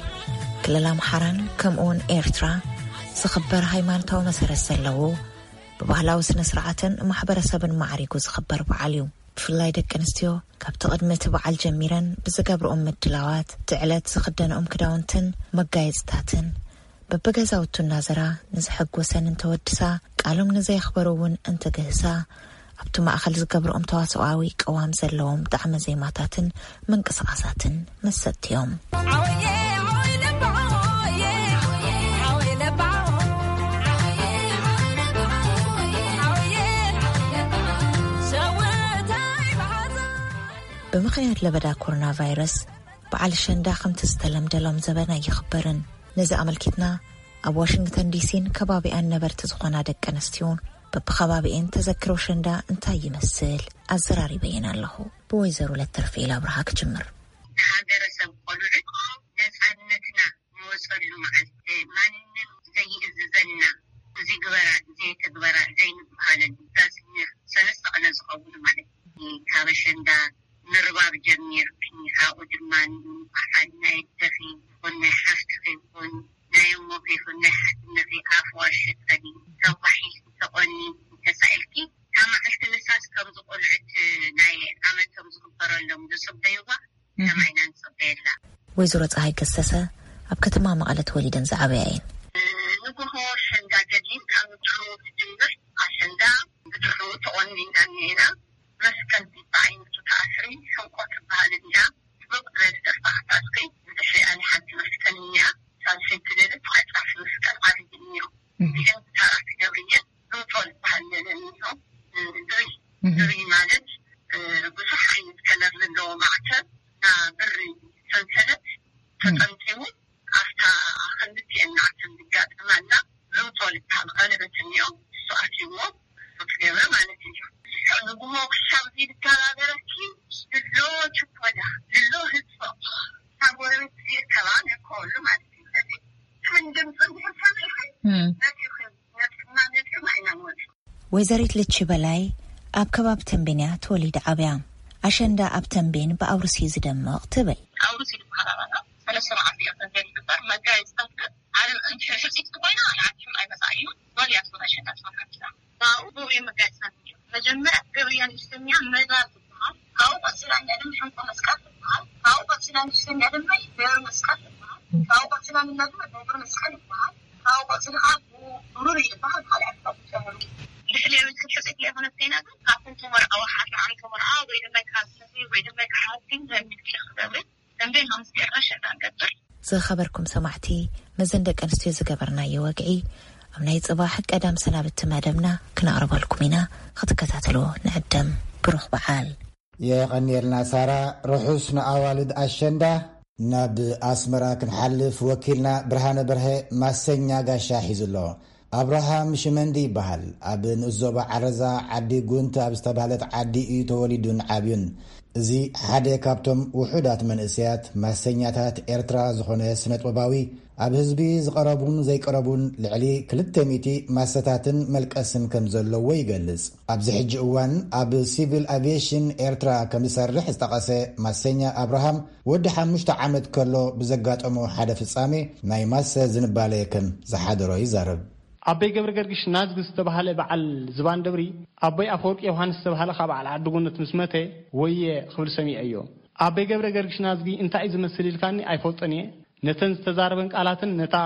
ክልል ኣምሓራን ከምኡውን ኤርትራ ዝኽበር ሃይማኖታዊ መሰረት ዘለዎ፣ ብባህላዊ ስነ ስርዓትን ማሕበረሰብን ማዕሪጉ ዝኽበር በዓል እዩ። ብፍላይ ደቂ ኣንስትዮ ካብቲ ቅድሚ እቲ በዓል ጀሚረን ብዝገብርኦም ምድላዋት፣ እቲ ዕለት ዝኽደንኦም ክዳውንትን መጋየፅታትን በብገዛውቱ እናዘራ ንዝሐጎሰን እንተወድሳ፣ ቃሎም ንዘየኽበሩ እውን እንተገህሳ፣ ኣብቲ ማእኸል ዝገብርኦም ተዋስኦኣዊ ቅዋም ዘለዎም ጣዕመ ዜማታትን ምንቅስቓሳትን መሰጥቲ እዮም። ብምኽንያት ለበዳ ኮሮና ቫይረስ፣ በዓል ኣሸንዳ ከምቲ ዝተለምደ ሎም ዘበን ኣይኽበርን። ነዚ ኣመልኪትና፣ ኣብ ዋሽንግተን ዲሲን ከባቢኣን ነበርቲ ዝኾና ደቂ ኣንስትዮን በብኸባቢኤን ተዘክሮ ኣሸንዳ እንታይ ይመስል ኣዘራሪበየን ኣለኹ። ብወይዘሮ ለተርፌል ኣብርሃ ክጅምር። ንሃገረሰብ ቆልዑት ነፃነትና ንወፀሉ መዓልቲ፣ ማንም ዘይእዝዘና፣ እዚ ግበራ፣ እዚ ተግበራ ዘይንበሃለሉ፣ ዳስ ሰለስተ ቀነ ዝኸውን ማለት እዩ። ካብ ኣሸንዳ ምርባብ ጀሚርኪ፣ ካብኡ ድማ በዓል ናይ ኣደኺ ይኹን ናይ ሓፍትኺ ይኹን ናይ እሞኺ ይኹን ናይ ሓትነኺ ኣፍ ዋሸጠኒ፣ ተጓሒልኪ፣ ተቆኒንኪ፣ ተሳኢልኪ፣ ካብ መዓልቲ ንሳስ ከምዚ ቆልዑት ናይ ዓመቶም ዝኽበረሎም ዝፅበይዋ፣ ከማይ ኢና ንፅበየላ። ወይዘሮ ፀሃይ ገሰሰ ኣብ ከተማ መቐለ ተወሊደን ዝዓበያ እየን። ንግሆ ኣሸንዳ ገዲም ካብ ንድሕሩ ትጅምር። ኣሸንዳ ብድሕሩ ተቆኒና እኒኤና። መስቀል ቢባ ዓይነቱ ተኣስሪ፣ ሕንቆ ትበሃል እኒኣ። ጥብቕ ዝበለ ደርፋ ክታስሪ፣ ብድሕሪኣ ንሓንቲ መስቀል እኒኣ። ሳልሰይቲ ደለ ተዓፃፊ መስቀል ዓብዪ እኒኦ። እዚአን ብታራ ትገብርየን ሎጦ ዝበሃል ለለ እኒኦ። ድሪ፣ ድሪ ማለት ብዙሕ ዓይነት ከለር ዘለዎ ማዕተብ፣ ና ብሪ ሰንሰለት ተጠምጢሙ፣ ኣብታ ክልቲኤን ናዕተን ዝጋጠማላ ሎጦ ዝበሃል ቀለበት እኒኦ። እሱ ኣትይዎ፣ እሱ ትገብረ ማለት እዩ። ንግሆ ክሻብ ዝይተባበረኪ፣ ድሎ ችኮላ፣ ድሎ ህዝቦ፣ ካብ ጎረቤት ዝርከባ ነከወሉ ማለት እዩ። ስለዚ፣ ምን ድምፂ እንድሕር ሰሚዕኺ፣ እም። ነጢርኺ፣ ነጢርና፣ ነጢርና ኢና ንወፅእ። ወይዘሪት ልቺ በላይ ኣብ ከባቢ ተንቤን እያ ተወሊዳ ዓብያ። ኣሸንዳ ኣብ ተንቤን ብኣውርሲ ዝደምቕ ትብል። ኣውርሲ ዝበሃል ኣባና ሰለስተ መዓልቲ እዮም ተንቤን ዝግበር። መጋየፅታት ግን ዓለም እንተ ሕፅይቲ ኮይና፣ ንዓዲ ሽም ኣይመፃ እዩ። ጓል እያ ትኾን ኣሸንዳ ትኾን ሓንቲና። ናብኡ ብኡ እዮም መጋየፅታት እዮም። መጀመርያ ገበያ ንእሽተኛ መዛ ትበሃል። ካብኡ ቀፂላ እንዳ ድማ ሕንቆ መስቀል ትበሃል። ካብኡ ቀፂላ ንእሽተኛ ድማ ደብረ መስቀል ትበሃል። ካብኡ ቀፂላ ንላ ድማ ደብረ መስቀል ይበሃል። ካብኡ ቀፂሉ ከዓ ብሩር ይበሃል። ካልኣት ካብ ጨምሩ። ድሕሪ ሕፅይቲ ኣይኮነት ኮይና ግን ካብቶም ተመርዓዋ ሓንቲ ዓመት ተመርዓ ወይ ድማ ካብ ሰፈይ ወይ ድማ ካብ ሓኪም ዘሚድኪ ክትገብሪ ተንቤን ሃምስቲ ኣሸንዳ ንቀፅል። ዝኸበርኩም ሰማዕቲ፣ መዘን ደቂ ኣንስትዮ ዝገበርናዮ ወግዒ ኣብ ናይ ጽባሕ ቀዳም ሰናብቲ መደብና ክነቕርበልኩም ኢና። ክትከታተልዎ ንዕደም። ብሩኽ በዓል። የቐንየልና ሳራ፣ ርሑስ ንኣዋልድ ኣሸንዳ። ናብ ኣስመራ ክንሓልፍ ወኪልና ብርሃነ በርሀ ማሰኛ ጋሻ ሒዙ ኣሎ። ኣብርሃም ሽመንዲ ይበሃል። ኣብ ንኡስ ዞባ ዓረዛ ዓዲ ጉንት ኣብ ዝተባህለት ዓዲ እዩ ተወሊዱን ዓብዩን። እዚ ሓደ ካብቶም ውሑዳት መንእሰያት ማሰኛታት ኤርትራ ዝኾነ ስነጥበባዊ፣ ኣብ ህዝቢ ዝቐረቡን ዘይቀረቡን ልዕሊ ክልተ ሚእቲ ማሰታትን መልቀስን ከም ዘለዎ ይገልጽ። ኣብዚ ሕጂ እዋን ኣብ ሲቪል ኣቪየሽን ኤርትራ ከም ዝሰርሕ ዝጠቐሰ ማሰኛ ኣብርሃም፣ ወዲ ሓሙሽተ ዓመት ከሎ ብዘጋጠሞ ሓደ ፍጻሜ ናይ ማሰ ዝንባለ ከም ዝሓደሮ ይዛረብ። ኣቦይ ገብረ ገርግሽ ናዝጊ ዝተባህለ በዓል ዝባን ደብሪ፣ ኣቦይ ኣፈወርቂ ዮሃንስ ዝተባህለ ካብ በዓል ዓዲ ጉነት ምስ መተ፣ ወየ ክብል ሰሚዐዮ። ኣቦይ ገብረ ገርግሽ ናዝጊ እንታይ እዩ ዝመስል ኢልካኒ ኣይፈልጦን እየ። ነተን ዝተዛረበን ቃላትን ነታ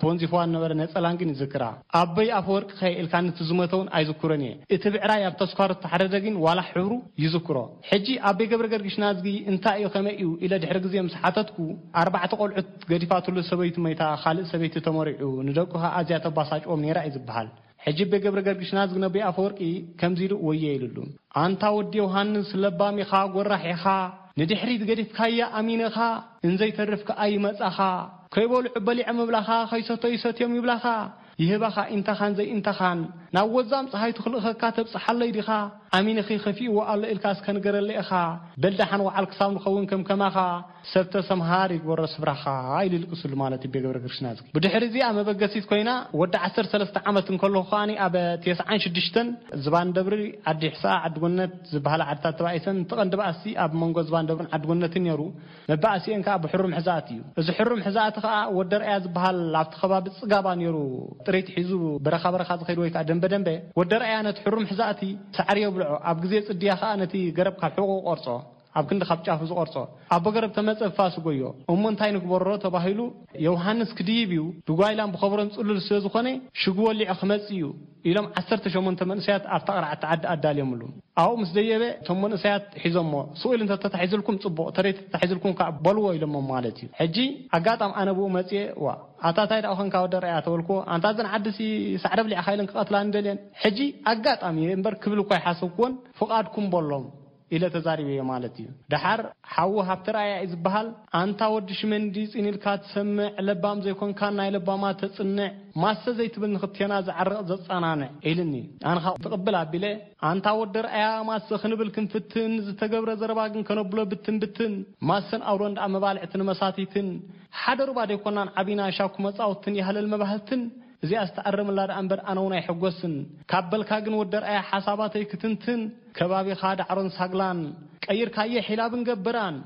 ተወንዚፍዋ ዝነበረ ነጸላን ግን ይዝክራ። ኣቦይ ኣፈወርቂ ከ ኢልካኒ እቲ ዝሞተ እውን ኣይዝክሮን እየ። እቲ ብዕራይ ኣብ ተስኳሩ ዝተሓረደ ግን ዋላ ሕብሩ ይዝክሮ። ሕጂ ኣቦይ ገብረ ገርግሽ ናዝጊ እንታይ እዩ፣ ከመይ እዩ ኢለ ድሕሪ ግዜ ምስ ሓተትኩ፣ ኣርባዕተ ቆልዑት ገዲፋትሉ ሰበይቱ መይታ፣ ካልእ ሰበይቲ ተመሪዑ፣ ንደቁ ከኣ ኣዝያ ተባሳጭዎም ነይራ እዩ ዝበሃል። ሕጂ ኣቦይ ገብረ ገርግሽ ናዝጊ ነቦይ ኣፈወርቂ ከምዚ ኢሉ ወየ ኢሉሉ። ኣንታ ወዲ ዮሃንስ፣ ለባም ኢኻ፣ ጎራሕ ኢኻ፣ ንድሕሪት ገዲፍካያ ኣሚነኻ፣ እንዘይተርፍ ከኣ ይመጻኻ። ከይበልዑ በሊዖም ይብላኻ፣ ከይሰተዩ ሰትዮም ይብላኻ፣ ይህባኻ ኢንታኻን ዘይኢንታኻን። ናብ ወዛም ጸሃይቱ ክልእኸካ ተብጽሓለይ ዲኻ? ኣሚንኺ ከፊእዎ ኣሎ ኢልካ እስከ ንገረለይ ኢኻ። በል ደሓን ወዓል ክሳብ ንኸውን ከም ከማኻ፣ ሰብ ተሰምሃር ይግበሮ ስፍራኻ ኢሉ ይልቅስሉ ማለት እዩ ኣቦይ ገብረ ገርግሽ ናዝጊ። ብድሕሪ እዚኣ መበገሲት ኮይና ወዲ ዓሰርተ ሰለስተ ዓመት እንከለኹ ከኣ ኣብ ተስዓን ሽዱሽተን ዝባን ደብሪ፣ ዓዲ ሕስኣ፣ ዓዲ ጎነት ዝበሃላ ዓድታት ተባኢሰን፣ እቲ ቀንዲ ባእሲ ኣብ መንጎ ዝባን ደብርን ዓዲ ጎነትን ነይሩ። መባእሲኤን ከኣ ብሕሩም ሕዛእቲ እዩ። እዚ ሕሩም ሕዛእቲ ከኣ ወዲ ኣርኣያ ዝበሃል ኣብቲ ከባቢ ጽጋባ ነይሩ፣ ጥሪት ሒዙ በረኻ በረኻ ዝኸይድ ወይ ከኣ ደንበ ደንበ። ወዲ ኣርኣያ ነቲ ሕሩም ሕዛእቲ ሳዕሪ የብልዖ፣ ኣብ ግዜ ጽድያ ከኣ ነቲ ገረብ ካብ ሕቖኡ ቆርጾ፣ ኣብ ክንዲ ካብ ጫፉ ዝቆርጾ። ኣቦ ገረብ ተመጸ ብፋስ ጎዮ። እሞ እንታይ ንግበሮ ተባሂሉ፣ ዮሃንስ ክድይብ እዩ፣ ብጓይላን ብኸበሮን ጽሉል ስለ ዝኾነ፣ ሽጉ ወሊዑ ክመጽእ እዩ ኢሎም ዓሰርተ ሸሞንተ መንእሰያት ኣብታ ቅርዓቲ ዓዲ ኣዳልዮምሉ። ኣብኡ ምስ ደየበ፣ እቶም መንእሰያት ሒዞሞ፣ ስቕ ኢሉ እንተተታሒዙልኩም ጽቡቕ፣ ተረይ ተታሒዙልኩም ከኣ በልዎ ኢሎሞ ማለት እዩ። ሕጂ ኣጋጣም ኣነ ብኡ መጽየ፣ ዋ፣ ኣታ ታይ ደኣ ኾንካ ወዲ ኣርኣያ ተበልክዎ፣ ኣንታ እዘን ዓድሲ ሳዕሪ ኣብሊዕኻ ኢለን ክቐትላኒ ደልየን። ሕጂ ኣጋጣሚ እየ እምበር ክብል እኳ ኣይሓሰብክዎን፣ ፍቓድኩም በሎም ኢለ ተዛሪበዮ ማለት እዩ። ደሓር ሓዉ ሃብተርኣያ እዩ ዝበሃል፣ ኣንታ ወዲ ሽመንዲ ጽን ኢልካ ትሰምዕ፣ ለባም ዘይኮንካን ናይ ለባማት ተጽንዕ፣ ማሰ ዘይትብል ንኽልቴና ዘዕርቕ ዘጸናንዕ ኢልኒ። ኣነ ኸኣ ትቕብል ኣቢለ፣ ኣንታ ወዲ ኣርኣያ ማሰ ክንብል ክንፍትን፣ ዝተገብረ ዘረባ ግን ከነብሎ ብትን ብትን፣ ማሰን ኣውሎን ደኣ መባልዕቲ ንመሳቲትን፣ ሓደ ሩባ ደይኮናን ዓቢና ሻኩ መጻውትን ያህለል መባህልትን፣ እዚኣስ ተኣረምላ ደኣ እምበር ኣነ እውን ኣይሕጎስን። ካብ በልካ ግን ወዲ ኣርኣያ ሓሳባተይ ክትንትን፣ ከባቢኻ ዳዕሮን ሳግላን ቀይርካዮ ሒላብን ገበራን።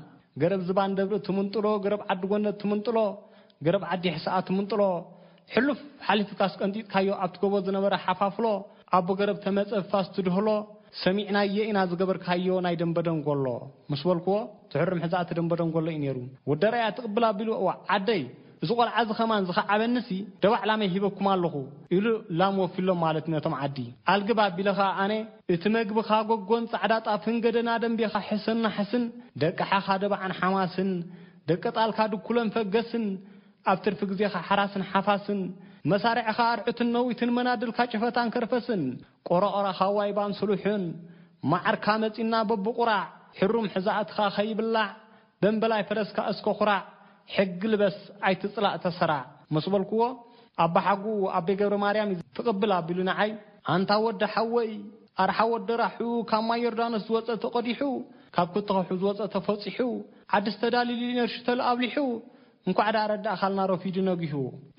ገረብ ዝባን ደብሪ ትምንጥሎ፣ ገረብ ዓዲ ጎነት ትምንጥሎ፣ ገረብ ዓዲ ሕስኣ ትምንጥሎ። ሕሉፍ ሓሊፍካስ ቀንጢጥካዮ ኣብቲ ጎቦ ዝነበረ ሓፋፍሎ፣ ኣቦ ገረብ ተመጸ ፋስ ትድህሎ፣ ሰሚዕናዮ ኢና ዝገበርካዮ ናይ ደንበ ደንጎሎ። ምስ በልክዎ፣ ትሕርም ሕዛእቲ ደንበ ደንጎሎ እዩ ነይሩ። ወዲ ኣርኣያ ትቕብል ኣቢሉ፣ እዋ ዓደይ፣ እዚ ቆልዓ እዚ ኸማን ዝኸዓበኒሲ ደባዕ ላመይ ሂበኩም ኣለኹ ኢሉ ላም ወፊሎም ማለት ነቶም ዓዲ። ኣልግብ ኣቢለ ኸኣ ኣነ እቲ መግብኻ ጎጎን ጻዕዳ ጣፍን ገደና ደንቤኻ ሕሰን ናሕስን ደቂ ሓኻ ደባዕን ሓማስን ደቂ ጣልካ ድኩለን ፈገስን ኣብ ትርፊ ግዜኻ ሓራስን ሓፋስን መሳርዕኻ ኣርዑትን ነዊትን መናድልካ ጭፈታን ከርፈስን ቆረቆራኻ ዋይባን ስሉሕን መዓርካ መጺና በብቑራዕ ሕሩም ሕዛእትኻ ኸይብላዕ ደምበላይ ፈረስካ እስከ ኩራዕ፣ ሕጊ ልበስ ኣይትጽላእ ተሰራዕ ምስ በልክዎ፣ ኣባሓጉኡ ኣቤ ገብረ ማርያም እዩ ትቕብል ኣቢሉ ንዓይ፣ ኣንታ ወዲ ሓወይ፣ ኣርሓ ወዲ ራሑ ካብ ማይ ዮርዳኖስ ዝወጸ ተቐዲሑ፣ ካብ ክትኸሑ ዝወጸ ተፈጺሑ፣ ዓድስ ተዳሊሉ ነርሽተል ኣብሊሑ፣ እንኳዕ ደኣ ረዳእኻልና ረፊዱ ነጊሁ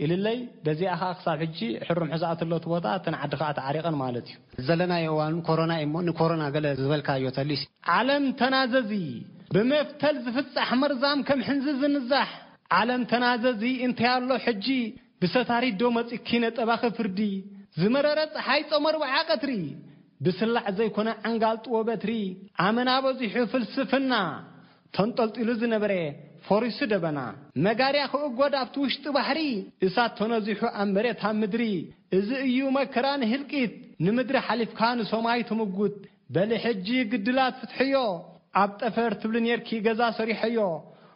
ኢልለይ፣ በዚኣ ኸኣ ክሳብ ሕጂ ሕሩም ሕዛእቲ ኣሎ እቲ ቦታ፣ እተን ዓዲ ኸኣ ተዓሪቐን ማለት እዩ። ዘለናዮ እዋን ኮሮና እዩ እሞ፣ ንኮሮና ገለ ዝበልካዮ ተልዩሲ። ዓለም ተናዘዚ፣ ብመፍተል ዝፍጻሕ መርዛም ከም ሕንዚ ዝንዛሕ። ዓለም ተናዘዚ፣ እንታይ ኣሎ ሕጂ? ብሰታሪት ዶ መጺኪ ነጠባኺ ፍርዲ? ዝመረረ ጸሓይ ጾም ኣርብዓ ቀትሪ፣ ብስላዕ ዘይኮነ ዓንጋል ጥዎ በትሪ። ኣመና በዚሑ ፍልስፍና፣ ተንጠልጢሉ ዝነበረ ፈሪሱ ደበና። መጋርያ ክእጎድ ኣብቲ ውሽጢ ባሕሪ፣ እሳት ተነዚሑ ኣብ መሬት ኣብ ምድሪ። እዚ እዩ መከራ ንህልቂት፣ ንምድሪ ሓሊፍካ ንሰማይ ትምጉት። በሊ ሕጂ ግድላት ፍትሕዮ፣ ኣብ ጠፈር ትብሊ ኔርኪ ገዛ ሰሪሐዮ።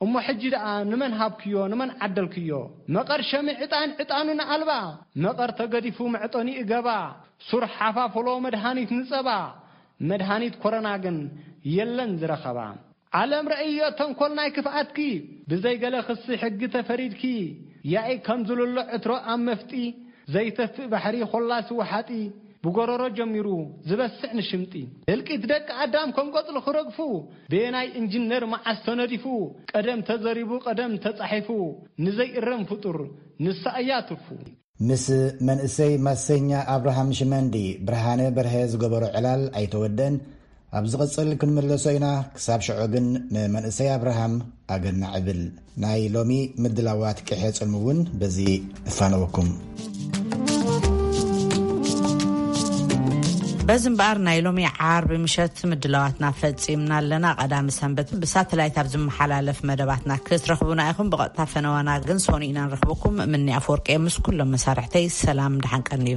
እሞ ሕጂ ደኣ ንመን ሃብክዮ፣ ንመን ዓደልክዮ? መቐር ሸሚ ዕጣን ዕጣኑ ንኣልባ፣ መቐር ተገዲፉ መዕጠኒኡ ገባ። ሱር ሓፋፍሎ መድሃኒት ንጸባ፣ መድሃኒት ኮሮና ግን የለን ዝረኸባ። ዓለም ረእዮ ተንኮል ናይ ክፍኣትኪ፣ ብዘይ ገለ ክሲ ሕጊ ተፈሪድኪ። ያኢ ከም ዝልሎ ዕትሮ ኣብ መፍጢ፣ ዘይተፍእ ባሕሪ ኾላሲ ወሓጢ፣ ብጎረሮ ጀሚሩ ዝበስዕ ንሽምጢ። ህልቂት ደቂ ኣዳም ከም ቆጽሊ ክረግፉ፣ በየናይ ኢንጂነር መዓስ ተነዲፉ? ቀደም ተዘሪቡ ቀደም ተጻሒፉ፣ ንዘይእረም ፍጡር ንሳ እያ ትርፉ። ምስ መንእሰይ ማሰኛ ኣብርሃም ሽመንዲ ብርሃነ በርሀ ዝገበሮ ዕላል ኣይተወደን። ኣብ ዝቕጽል ክንምለሶ ኢና። ክሳብ ሽዑ ግን ንመንእሰይ ኣብርሃም ኣገናዕ እብል። ናይ ሎሚ ምድላዋት ቅሐ ጽልሚ እውን በዚ እፋነወኩም። በዚ እምበኣር ናይ ሎሚ ዓርቢ ምሸት ምድላዋትና ፈጺምና ኣለና። ቀዳሚ ሰንበት ብሳተላይት ኣብ ዝመሓላለፍ መደባትና ክትረኽቡና ኢኹም። ብቐጥታ ፈነዋና ግን ሶኒ ኢና ንረኽበኩም። ምኒ ኣፈወርቂ ምስ ኩሎም መሳርሕተይ ሰላም ደሓን ቀንዩ።